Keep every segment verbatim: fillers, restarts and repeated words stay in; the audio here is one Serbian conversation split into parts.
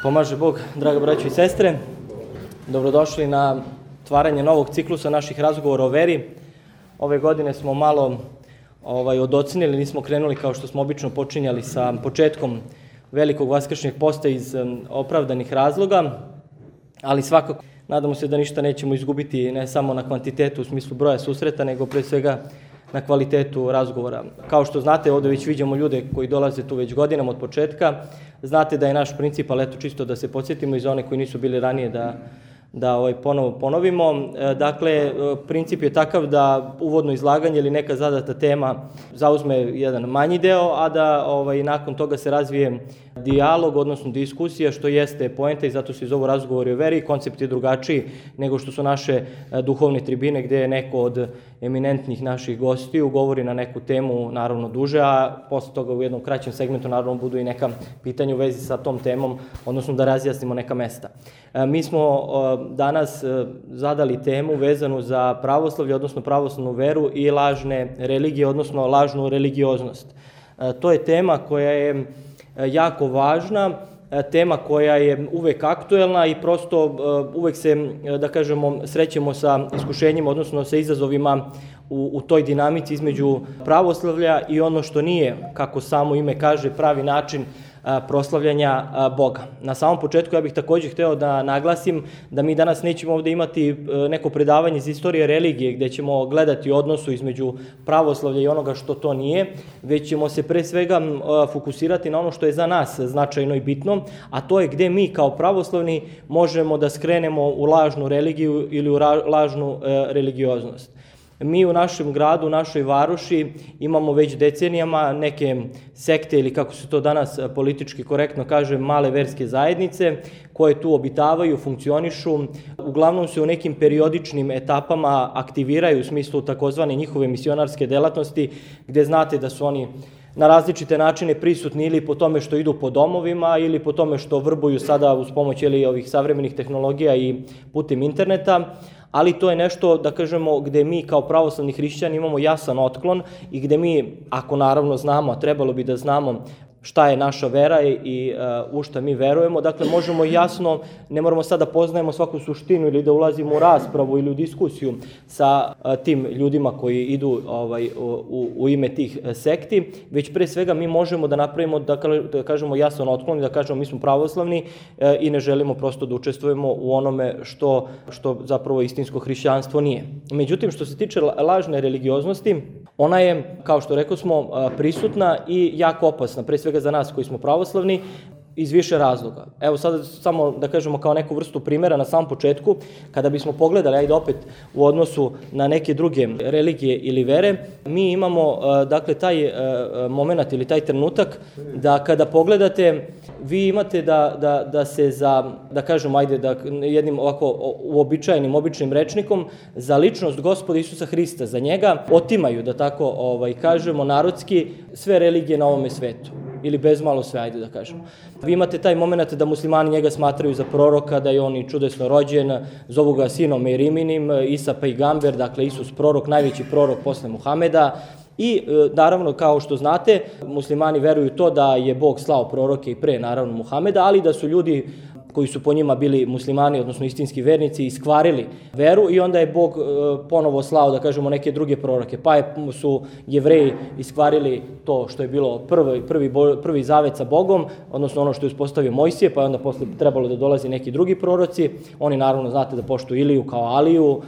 Pomaže Bog, draga braćo i sestre. Dobrodošli na otvaranje novog ciklusa naših razgovora o veri. Ove godine smo malo ovaj, odocenili, nismo krenuli kao što smo obično počinjali sa početkom velikog vaskršnjeg posta iz um, opravdanih razloga, ali svakako nadamo se da ništa nećemo izgubiti ne samo na kvantitetu u smislu broja susreta, nego pre svega na kvalitetu razgovora. Kao što znate, ovdje već viđamo ljude koji dolaze tu već godinama od početka. Znate da je naš princip, ali eto čisto da se podsjetimo i za one koji nisu bili ranije da, da ovaj, ponovo ponovimo. Dakle, princip je takav da uvodno izlaganje ili neka zadata tema zauzme jedan manji deo, a da ovaj, nakon toga se razvije dijalog, odnosno diskusija, što jeste poenta i zato se zovu razgovori o veri. Koncept je drugačiji nego što su naše duhovne tribine, gdje je neko od eminentnih naših gostiju govori na neku temu, naravno duže, a posle toga u jednom kraćem segmentu naravno budu i neka pitanja u vezi sa tom temom, odnosno da razjasnimo neka mesta. Mi smo danas zadali temu vezanu za pravoslavlje, odnosno pravoslavnu veru i lažne religije, odnosno lažnu religioznost. To je tema koja je jako važna, tema koja je uvek aktuelna i prosto uvek se, da kažemo, srećemo sa iskušenjima, odnosno sa izazovima u, u toj dinamici između pravoslavlja i ono što nije, kako samo ime kaže, pravi način proslavljanja Boga. Na samom početku ja bih također hteo da naglasim da mi danas nećemo ovdje imati neko predavanje iz istorije religije gdje ćemo gledati odnosu između pravoslavlja i onoga što to nije, već ćemo se pre svega fokusirati na ono što je za nas značajno i bitno, a to je gdje mi kao pravoslavni možemo da skrenemo u lažnu religiju ili u lažnu religioznost. Mi u našem gradu, u našoj varoši imamo već decenijama neke sekte ili kako se to danas politički korektno kaže, male verske zajednice koje tu obitavaju, funkcionišu. Uglavnom se u nekim periodičnim etapama aktiviraju u smislu takozvane njihove misionarske delatnosti, gdje znate da su oni na različite načine prisutni ili po tome što idu po domovima ili po tome što vrbuju sada uz pomoć ili ovih savremenih tehnologija i putem interneta, ali to je nešto, da kažemo, gde mi kao pravoslavni hrišćani imamo jasan otklon i gde mi, ako naravno znamo, a trebalo bi da znamo šta je naša vera i uh, u šta mi verujemo, dakle možemo jasno, ne moramo sad da poznajemo svaku suštinu ili da ulazimo u raspravu ili u diskusiju sa uh, tim ljudima koji idu ovaj, u, u ime tih sekti, već pre svega mi možemo da napravimo, da, da kažemo jasan otklon i da kažemo mi smo pravoslavni uh, i ne želimo prosto da učestvujemo u onome što, što zapravo istinsko hrišćanstvo nije. Međutim, što se tiče lažne religioznosti, ona je, kao što rekao smo, prisutna i jako opasna, pre svega za nas koji smo pravoslavni, iz više razloga. Evo sada samo da kažemo kao neku vrstu primjera na samom početku, kada bismo pogledali, ajde opet u odnosu na neke druge religije ili vere, mi imamo dakle taj moment ili taj trenutak da kada pogledate, vi imate da, da, da se za, da kažemo, ajde da jednim ovako uobičajenim, običnim rečnikom, za ličnost Gospoda Isusa Hrista, za njega otimaju, da tako ovaj, kažemo narodski, sve religije na ovome svetu. Ili bezmalo sve, ajde da kažemo. Vi imate taj moment da muslimani njega smatraju za proroka, da je on i čudesno rođen, zovu ga sinom Eriminim, Isa Pejgamber, dakle Isus prorok, najveći prorok posle Muhameda. I naravno, kao što znate, muslimani veruju to da je Bog slao proroke i pre, naravno, Muhameda, ali da su ljudi koji su po njima bili muslimani, odnosno istinski vernici, iskvarili veru i onda je Bog ponovo slao, da kažemo, neke druge proroke. Pa je, su Jevreji iskvarili to što je bilo prvi, prvi, prvi zavet sa Bogom, odnosno ono što je uspostavio Mojsije, pa je onda posle trebalo da dolazi neki drugi proroci. Oni naravno, znate, da poštuju Iliju kao Aliju,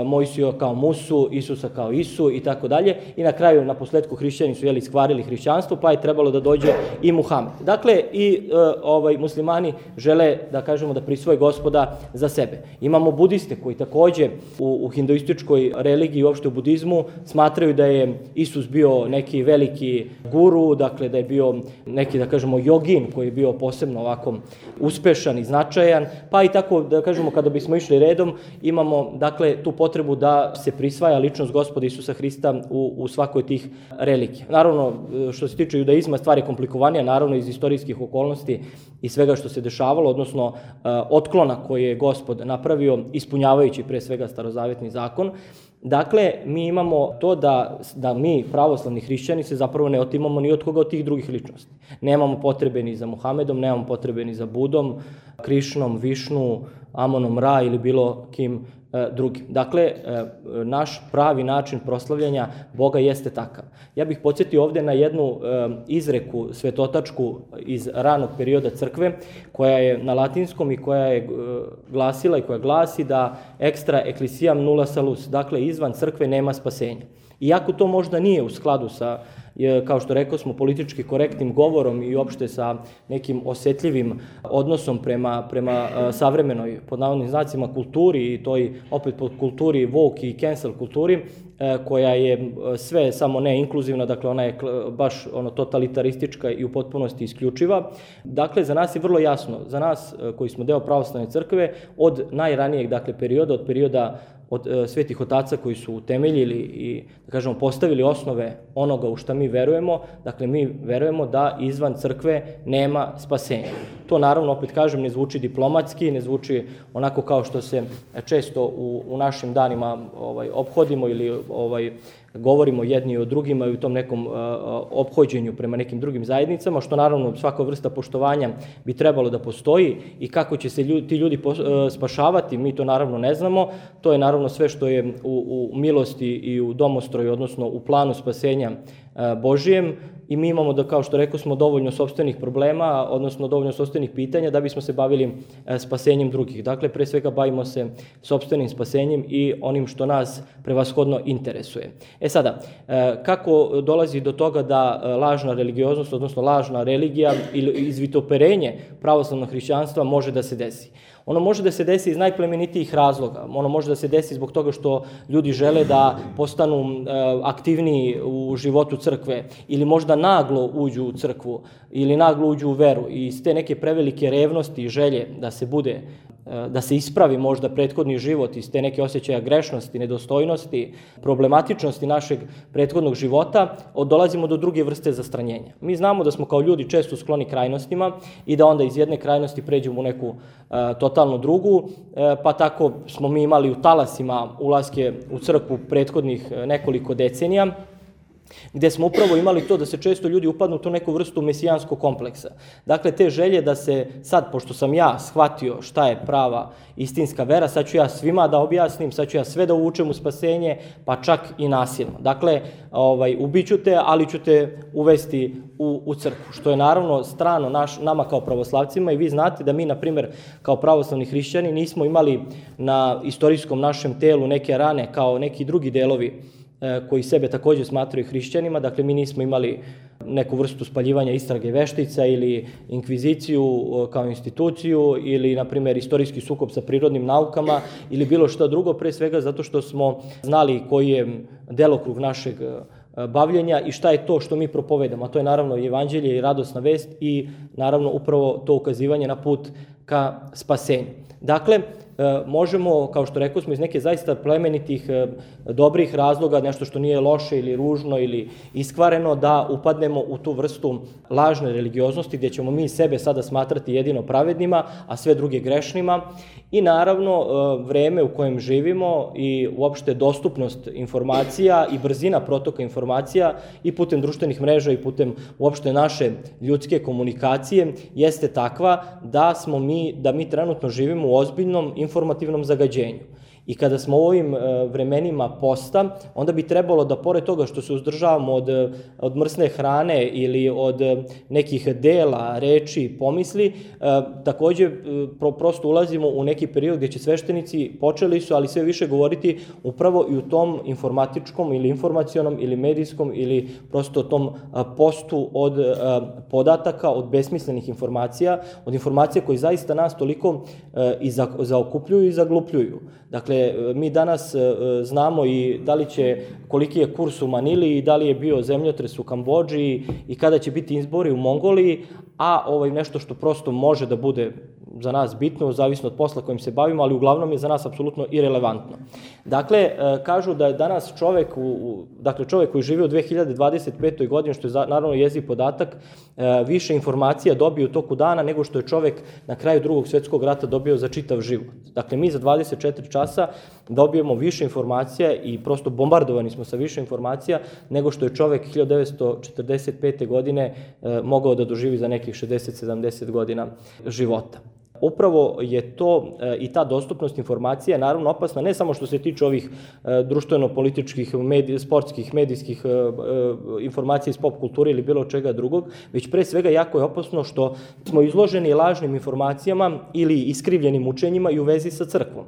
Mojsiju kao Musu, Isusa kao Isu i tako dalje. I na kraju, na posledku, hrišćani su jeli iskvarili hrišćanstvo, pa je trebalo da dođe i Muhamed. Dakle, i ovaj, muslimani žele da kažemo da prisvoje Gospoda za sebe. Imamo budiste koji takođe u, u hinduističkoj religiji i uopšte u budizmu smatraju da je Isus bio neki veliki guru, dakle da je bio neki, da kažemo, jogin koji je bio posebno ovako uspešan i značajan, pa i tako, da kažemo, kada bismo išli redom, imamo, dakle, tu potrebu da se prisvaja ličnost Gospoda Isusa Hrista u, u svakoj tih religija. Naravno, što se tiče judaizma, stvar je komplikovanija, naravno iz istorijskih okolnosti i svega što se dešavalo, odnosno otklona koje je Gospod napravio, ispunjavajući pre svega starozavetni zakon. Dakle, mi imamo to da, da mi, pravoslavni hrišćani, se zapravo ne otimamo ni od koga od tih drugih ličnosti. Nemamo potrebe ni za Muhamedom, nemamo potrebe ni za Budom, Krišnom, Višnu, Amonom Ra ili bilo kim e, drugim. Dakle, e, naš pravi način proslavljanja Boga jeste takav. Ja bih podsjetio ovde na jednu e, izreku svetotačku iz ranog perioda crkve, koja je na latinskom i koja je e, glasila i koja glasi da extra ecclesiam nulla salus, dakle, izvan crkve nema spasenja. Iako to možda nije u skladu sa, kao što rekao smo, politički korektnim govorom i uopšte sa nekim osetljivim odnosom prema, prema savremenoj, pod navodnim znacima, kulturi i toj, opet pod kulturi woke i cancel kulturi, koja je sve samo ne inkluzivna, dakle ona je baš ono totalitaristička i u potpunosti isključiva. Dakle, za nas je vrlo jasno, za nas koji smo deo pravoslavne crkve, od najranijeg, dakle, perioda, od perioda od e, svetih otaca koji su utemeljili i, da kažemo, postavili osnove onoga u šta mi verujemo, dakle, mi verujemo da izvan crkve nema spasenja. To, naravno, opet kažem, ne zvuči diplomatski, ne zvuči onako kao što se često u, u našim danima ovaj, ophodimo ili ovaj, govorimo jedni o drugima i u tom nekom uh, ophođenju prema nekim drugim zajednicama, što naravno svaka vrsta poštovanja bi trebalo da postoji i kako će se ljudi, ti ljudi pos, uh, spašavati, mi to naravno ne znamo. To je naravno sve što je u, u milosti i u domostroju, odnosno u planu spasenja uh, Božijem, i mi imamo, da, kao što rekao smo, dovoljno sopstvenih problema, odnosno dovoljno sopstvenih pitanja da bismo se bavili e, spasenjem drugih. Dakle, pre svega bavimo se sopstvenim spasenjem i onim što nas prevashodno interesuje. E sada, e, kako dolazi do toga da e, lažna religioznost, odnosno lažna religija ili izvitoperenje pravoslavnog hrišćanstva može da se desi? Ono može da se desi iz najplemenitijih razloga. Ono može da se desi zbog toga što ljudi žele da postanu e, aktivniji u životu crkve ili možda naglo uđu u crkvu ili naglo uđu u veru i iz te neke prevelike revnosti i želje da se bude, da se ispravi možda prethodni život, iz te neke osjećaja grešnosti, nedostojnosti, problematičnosti našeg prethodnog života, dolazimo do druge vrste zastranjenja. Mi znamo da smo kao ljudi često skloni krajnostima i da onda iz jedne krajnosti pređemo u neku uh, totalno drugu, uh, pa tako smo mi imali u talasima ulaske u crkvu prethodnih uh, nekoliko decenija, gde smo upravo imali to da se često ljudi upadnu u tu neku vrstu mesijanskog kompleksa. Dakle, te želje da se sad, pošto sam ja shvatio šta je prava istinska vera, sad ću ja svima da objasnim, sad ću ja sve da uvučem u spasenje, pa čak i nasilno. Dakle, ovaj, ubiću te, ali ću te uvesti u, u crkvu, što je naravno strano naš, nama kao pravoslavcima, i vi znate da mi, na primer, kao pravoslavni hrišćani nismo imali na istorijskom našem telu neke rane kao neki drugi delovi koji sebe takođe smatraju hrišćanima. Dakle, mi nismo imali neku vrstu spaljivanja istrage veštica ili inkviziciju kao instituciju ili, na primjer, istorijski sukob sa prirodnim naukama ili bilo što drugo, pre svega zato što smo znali koji je delokrug našeg bavljenja i šta je to što mi propovedamo. A to je naravno i evanđelje i radosna vest i naravno upravo to ukazivanje na put ka spasenju. Dakle, možemo, kao što rekao smo, iz neke zaista plemenitih, dobrih razloga, nešto što nije loše ili ružno ili iskvareno, da upadnemo u tu vrstu lažne religioznosti gdje ćemo mi sebe sada smatrati jedino pravednima, a sve druge grešnima. I naravno, vreme u kojem živimo i uopšte dostupnost informacija i brzina protoka informacija i putem društvenih mreža i putem uopšte naše ljudske komunikacije jeste takva da smo mi, da mi trenutno živimo u ozbiljnom informativnom zagađenju. I kada smo u ovim vremenima posta, onda bi trebalo da, pored toga što se uzdržavamo od, od mrsne hrane ili od nekih dela, reči, pomisli, takođe pro, prosto ulazimo u neki period gdje će sveštenici, počeli su, ali sve više govoriti upravo i u tom informatičkom ili informacionom ili medijskom ili prosto tom postu od podataka, od besmislenih informacija, od informacija koji zaista nas toliko i zaokupljuju i zaglupljuju. Dakle, mi danas znamo i da li će, koliki je kurs u Manili i da li je bio zemljotres u Kambodži i kada će biti izbori u Mongoliji, a ovaj nešto što prosto može da bude za nas bitno, zavisno od posla kojim se bavimo, ali uglavnom je za nas apsolutno irelevantno. Dakle, kažu da je danas čovek, u, dakle čovek koji živi u dve hiljade dvadeset petoj godini, što je naravno jeziv podatak, više informacija dobio u toku dana nego što je čovek na kraju drugog svjetskog rata dobio za čitav život. Dakle, mi za dvadeset četiri časa dobijemo više informacija i prosto bombardovani smo sa više informacija nego što je čovek hiljadu devetsto četrdeset pete godine mogao da doživi za nekih šezdeset do sedamdeset godina života. Upravo je to i ta dostupnost informacija naravno opasna ne samo što se tiče ovih društveno-političkih, medij, sportskih, medijskih informacija iz pop kulture ili bilo čega drugog, već pre svega jako je opasno što smo izloženi lažnim informacijama ili iskrivljenim učenjima i u vezi sa crkvom.